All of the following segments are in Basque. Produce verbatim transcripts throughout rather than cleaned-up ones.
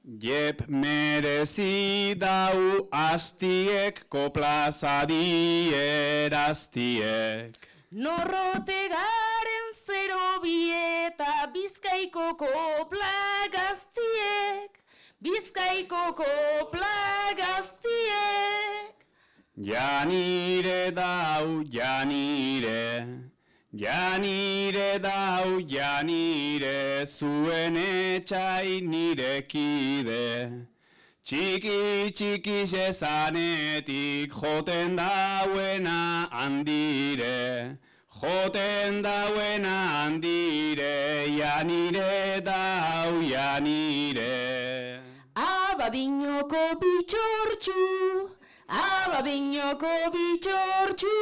Jep merezi dau astiek koplazadi eraztiek. Norrote garen zero bieta Bizkaiko kopla gaztiek, Bizkaiko kopla gaztiek. Janire dau, janire, janire dau, janire, zuen etxai nirekide. Txiki txiki zezanetik joten dauena handire, joten dauena handire, janire dau, janire. Abadiñoko bitxortxu, abadiñoko bitxortxu,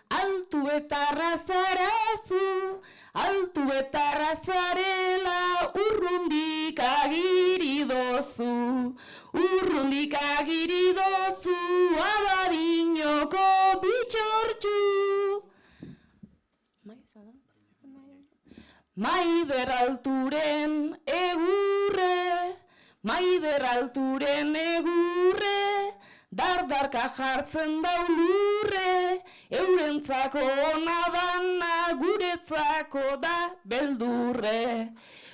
altu betarra zarazu, altu betarra zarela urrundik agiri dozu, urrundik agiri dozu, abadiñoko bitxortxu. Maider alturen egurre, Maider alturen egurre, dardarka jartzen dau lurre, eurentzako ona dana, guretzako da beldurre,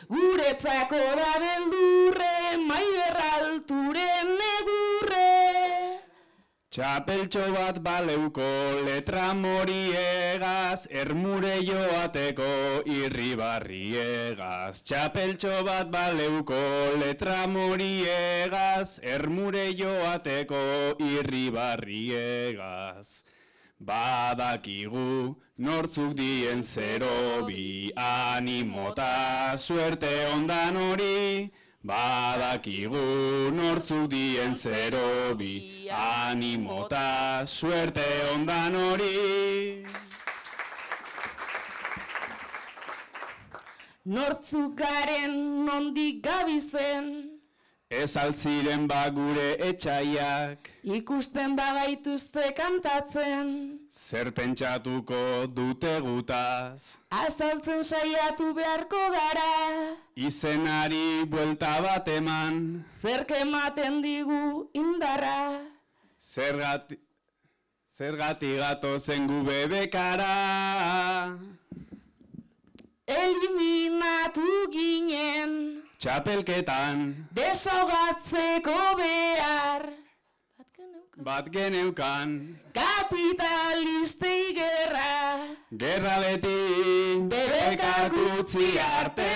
guretzako da beldurre, Maider alturen egurre. Txapeltxo bat baleuko letra moriegaz, ermure joateko irribarriegaz. Txapeltxo bat baleuko letra moriegaz, ermure joateko irribarriegaz. Badakigu nortzuk dien zero bi, animota suerte ondan hori. Badakigu nortzuk dien zero bi, animota suerte ondan hori. Nortzuk garen nondik gabizen, Ez altziren ba gure etxaiak, ikusten bagaituzte kantatzen, zer pentsatuko dute gutaz. azaltzen saiatu beharko gara, Izenari buelta bat eman, zerk ematen digu indarra. zergati, zergati gatozen gu bebekara. Eliminatu ginen, Txapelketan, desogatzeko behar. bat geneukan, Kapitalistei gerra, gerra beti, bebekak utzi arte,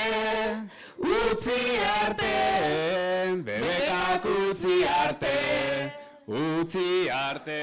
utzi arte, bebekak utzi arte, utzi arte.